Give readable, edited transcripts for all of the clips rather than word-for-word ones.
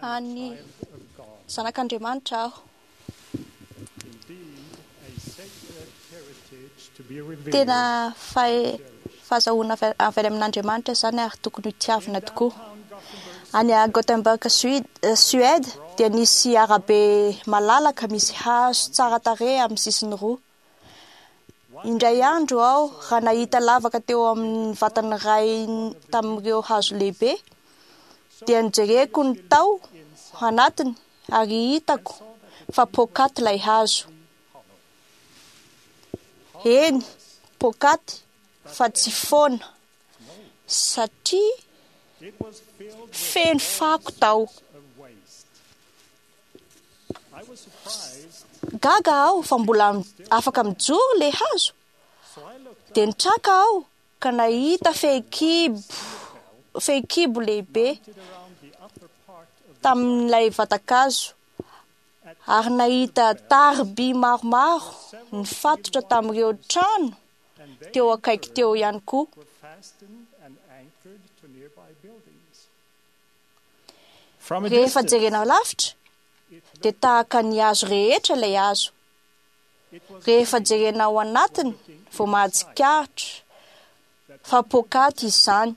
An'ny Zanak'Andriamanitra aho. Tena fahazahoana avy any amin'Andriamanitra izany ary tokony hotiavina tokoa. Any Gothenburg, Suède, dia nisy arabe malalaka misy hazo tsara tarehy amin'ny sisiny roa. Indray andro aho raha nahita lavaka teo amin'ny vatan'ny iray tamin'ireo hazo lehibe, dia nojereko ny tao anatiny ary hitako fa poakaty ilay hazo. Eny, poakaty fa tsy foana satria feno fako tao. Gaga aho fa mbola afaka mijoro ilay hazo. Dia nitraka aho ka nahita fehikibo, fehikibo lehibe tamin'ilay vatan-kazo ary nahita tariby maromaro nifatotra tamin'ireo trano teo akaiky teo ihany koa. Rehefa jerena lavitra dia tahaka ny hazo rehetra ilay hazo. Rehefa jerena ao anatiny vao mahatsikaritra fa poakaty izany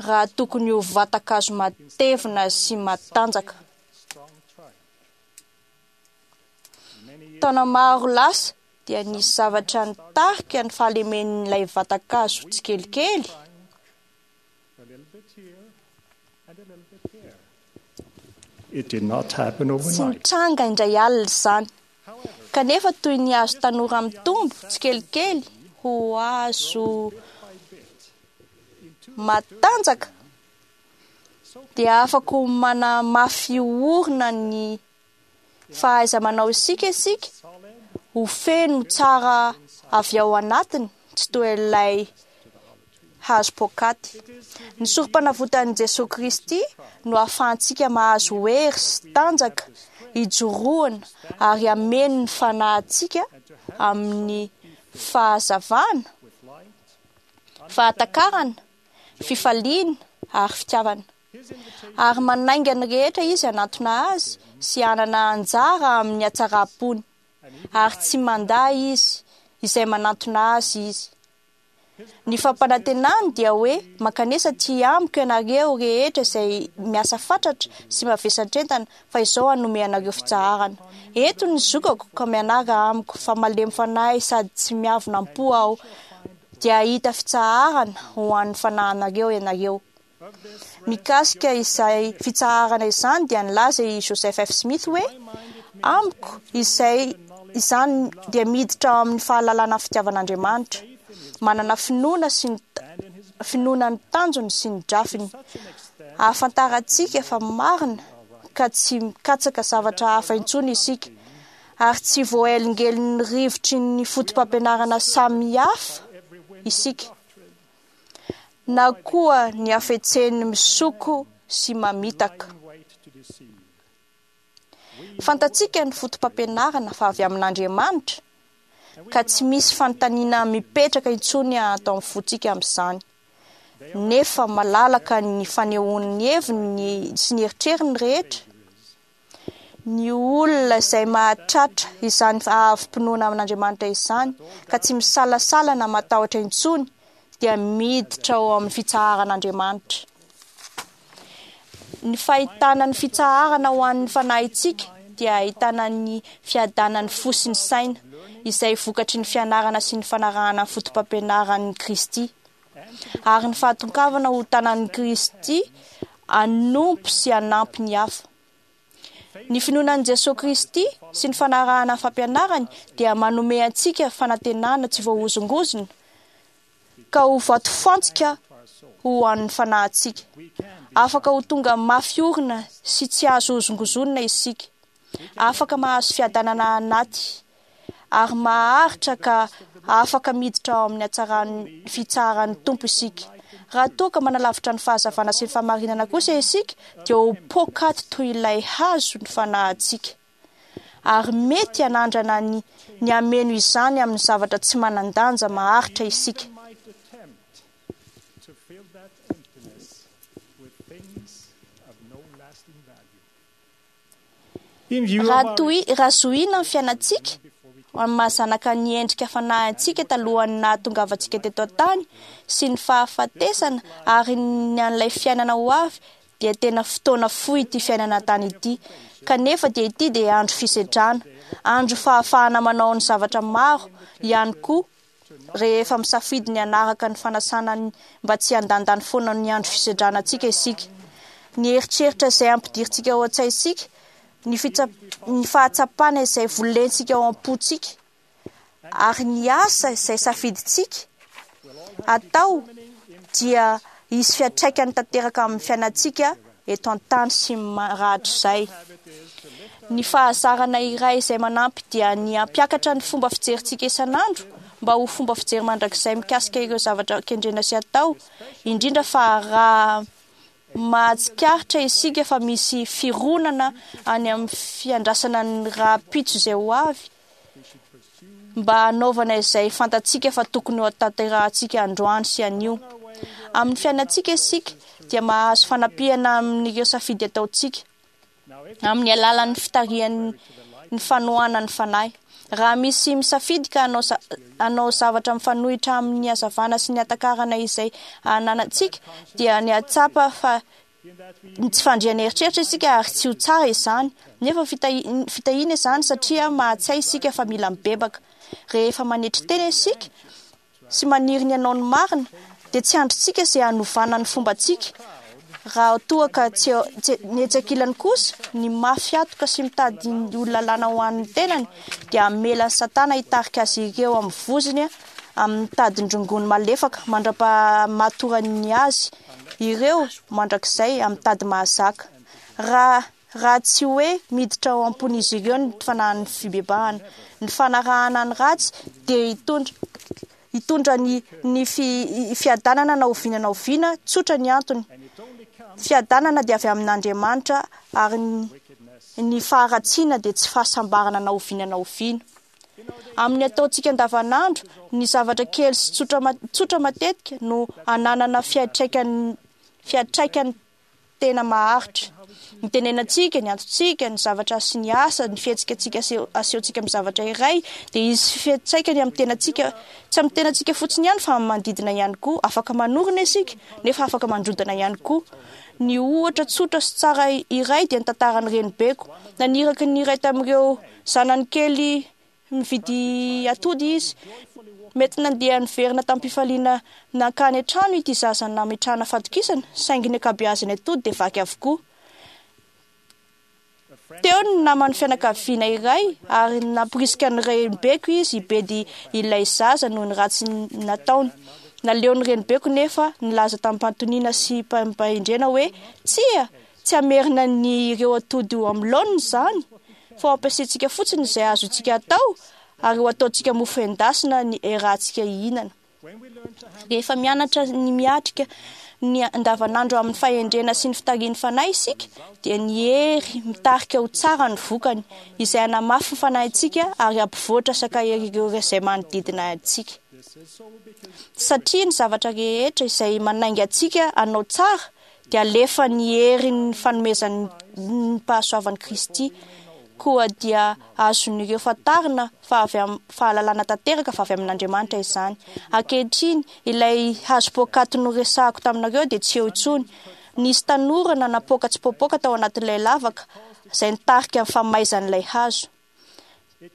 raha tokony ho vatan-kazo matevina sy matanjaka. Taona maro lasa dia nisy zavatra nitarika ny fahalemen'ilay vatan-kazo tsikelikely. Tsy nitranga indray alina izany. Kanefa toy ny hazo tanora mitombo tsikelikely ho hazo matanjaka, dia afaka ho manamafy orina ny fahaiza-manao isika isika ho feno tsara avy ao anatiny, tsy toy ilay hazo poakaty. Ny Sorompanavotan'i Jesoa Kristy no ahafahantsika mahazo hery sy tanjaka hijoroana ary hameno ny fanahintsika amin'ny fahazavana, fahatakarana, fifaliana ary fitiavana. Ary manainga ny rehetra Izy hanantona Azy sy hanana anjara amin'ny hatsaram-pony, ary tsy mandà Izy izay manantona Azy Izy. Ny fampanantenany dia hoe, Mankanesa aty amiko ianareo rehetra izay miasa fatratra sy mavesatr'entana, fa izao hanome anareo fitsaharana. Ento ny zokako ka mianara amiko, fa malemy fanahy sady tsy miavona am-po aho, dia hahita fitsaharana ho an'ny fanahinareo ianareo. Mikasika izay fitsaharana izany dia nilaza i Joseph F. Smith hoe, Amiko, izay izany dia miditra ao amin'ny fahalalana ny fitiavan'Andriamanitra, manana finoana sy ny finoana ny tanjony sy ny drafiny, ahafantarantsika fa marina ka tsy mikatsaka zavatra hafa intsony isika, ary tsy voahelingelin'ny rivotry ny fotopampianarana samihafa isika. na koa ny hafetsen'ny misoko sy mamitaka. Fantatsika ny fotopampianarana fa avy amin'Andriamanitra, ka tsy misy fanontaniana mipetraka intsony ato amin'ny fontsika amin'izany. Nefa malalaka ny fanehoany ny heviny sy ny eritreriny rehetra. Ny olona izay mahatratra izany ahavom-pinoana amin'Andriamanitra izany, ka tsy misalasala na matahotra intsony, dia miditra ao amin'ny fitsaharan'Andriamanitra. Ny fahitana ny fitsaharana ho an'ny fanahintsika dia ahitana ny fiadanan'ny fo sy ny saina, izay vokatry ny fianarana sy ny fanarahana ny fotopampianaran'i Kristy. ary ny fahatongavana ho tanan'i Kristy hanompo sy hanampy ny hafa. Ny finoana an'i Jesoa Kristy sy ny fanarahana ny fampianarany dia manome antsika fanantenana tsy voahozongozona ka ho vatofantsika ho an'ny fanahintsika. Afaka ho tonga mafy orina sy tsy azo hozongozonina isika. Afaka mahazo fiadanana anaty ary maharitra ka afaka miditra ao amin'ny hatsaran'ny fitsaharan'ny Tompo isika. Raha toa ka manalavitra ny fahazavana sy ny fahamarinana kosa isika, dia ho poakaty toy ilay hazo ny fanahintsika, ary mety hanandrana ny ny hameno izany amin'ny zavatra tsy manan-danja maharitra isika. In view of Raha our toy raha zohiana ny fiainantsika amin'ny maha-zanaka ny endrika fanahy antsika talohan'ny nahatongavantsika teto an-tany sy ny fahafatesana ary ny an'ilay fiainana ho avy dia tena fotoana fohy ity fiainana an-tany ity. Kanefa dia ity dia andro fisedrana, andro fahafahana manao ny zavatra maro ihany koa rehefa misafidy ny hanaraka ny fanasana mba tsy handandany foana ny andro fisedrana antsika isika. Ny eritreritra izay ampidirintsika ao an-tsaintsika, ny ny fahatsapana izay volentsika ao am-pontsika ary ny asa izay safidintsika atao dia hisy fiantraikany tanteraka amin'ny fiainantsika eto an-tany sy rahatrizay. Ny fahazarana iray izay manampy dia ny hampiakatra ny fomba fijerintsika isan'andro mba ho fomba fijery mandrakizay mikasika ireo zavatra kendrena sy atao, indrindra fa raha mahatsikaritra isika fa misy fironana any amin'ny fiandrasana ny rahampitso izay ho avy mba hanaovana izay fantatsika fa tokony ho tanterahantsika androany sy anio. Amin'ny fiainantsika isika dia mahazo fanampiana amin'ireo safidy ataontsika amin'ny alalan'ny fitarihan'ny ny fanohanan'ny fanahy. Raha misy misafidy ka hanao hanao zavatra mifanohitra amin'ny hazavana sy ny hatakarana izay ananantsika dia ny hahatsapa fa ny tsy fandriana eritreritra isika ary tsy ho tsara izany. Nefa fitahiana izany satria mahatsiahy isika fa mila mibebaka. Rehefa manetry tena isika sy maniry ny hanao ny marina dia tsy andrintsika izay hanovana ny fombantsika. Raha toa ka tsy ny etsy ankilany kosa, ny mafy hatoka sy mitady ny ho lalàna ho an'ny tenany dia hamela an'i Satana hitarika azy ireo amin'ny vozony amin'ny tadin-drongony malefaka mandra-pahamatorany azy ireo mandrakizay amin'ny tady mahazaka. Raha raha tsy hoe miditra ao am-pon'izy ireo ny fanahin'ny fibebahana, ny fanarahana ny ratsy dia hitondra hitondra ny ny fiadanana na oviana na oviana, tsotra ny antony. Fiadanana dia avy amin'Andriamanitra ary ny faharatsiana dia tsy fahasambarana na oviana na oviana. Amin'ny ataontsika andavanandro, ny zavatra kely sy tsotra tsotra matetika no ananana fiantraikany fiantraikany tena maharitra. Ny tenenantsika, ny antontsika, ny zavatra sy ny asa, ny fihetsika antsika asehontsika amin'ny zavatra iray dia hisy fiantraikany amin'ny tenantsika, tsy amin'ny tenantsika fotsiny ihany fa amin'ny manodidina ihany koa. Afaka manorina isika nefa afaka mandrodana ihany koa. Ny ohatra tsotra sy tsara iray dia ny tantaran'ny renibeko. Naniraka ny iray tamin'ireo zanany kely Nividy atody izy. Mety nandeha niverina tamim-pifaliana nankany an-trano ity zaza nametrahana fatokisana, saingy ny ankabeazan'ny atody dia vaky avokoa. Teo ny naman'ny fianakaviana iray ary namporisika ny renibeko izy hibedy ilay zaza noho ny ratsy nataony. Naleon'ny renibeko nefa nilaza tamim-pahantoniana sy mpahendrena hoe, Tsia! Tsy hamerina ny ireo atody ho amin'ny laoniny izany, fa ho ampiasaintsika fotsiny izay azontsika atao ary ho ataontsika mofo endasina ny rahantsika hihinana. Rehefa mianatra ny miatrika ny andavanandro amin'ny fahendrena sy ny fitarihin'ny Fanahy isika, dia ny hery mitarika ho tsara ny vokany, izay hanamafy ny fanahintsika ary hampivoatra sy hankahery ireo izay manodidina antsika. Satria ny zavatra rehetra izay manainga antsika hanao tsara dia alefa ny herin'ny fanomezan'ny pahasoavan'i Kristy. Koa dia azon'ireo fantarina fa avy amin'ny fahalalana tanteraka fa avy amin'Andriamanitra izany. Ankehitriny, ilay hazo poakaty noresahako taminareo dia tsy eo intsony. Nisy tanora nanapoaka tsipoapoaka tao anatin'ilay lavaka, izay nitarika ny famaizan'ilay hazo.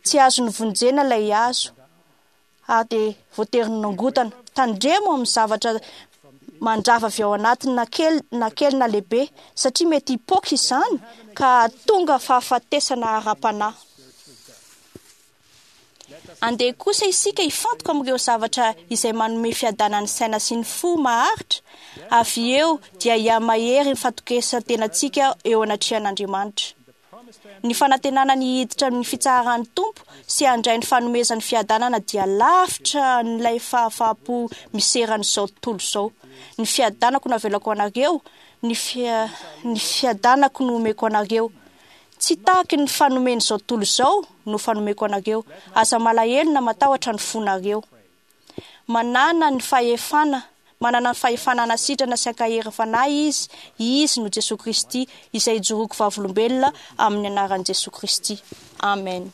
Tsy azo novonjena ilay hazo. ary dia voatery nongotana. Tandremo amin'ny zavatra mandrava avy ao anatiny na kely na kely na lehibe, satria mety hipoaka izany ka hahatonga fahafatesana ara-panahy. Andeha kosa isika hifantoka amin'ireo zavatra izay manome fiadanan'ny saina sy ny fo maharitra, avy eo dia hihamahery ny fatokisan-tenantsika eo anatrehan'Andriamanitra. Ny fanantenana ny hiditra amin'ny fitsaharan'ny Tompo sy handray ny fanomezany fiadanana dia lavitra an'ilay fahafaham-po miseran'izao tontolo izao. Ny fiadanako no avelako ho anareo, ny ny fiadanako no omeko anareo. Tsy tahaky ny fanomen'izao tontolo izao no fanomeko anareo. Aza malahelo na matahotra ny fonareo. Manana ny fahefana. Manana ny fahefana hanasitrana sy hankahery ny fanahy Izy. Izy no Jesoa Kristy, izay ijoroako vavolombelona amin'ny anaran'i Jesoa Kristy. Amen.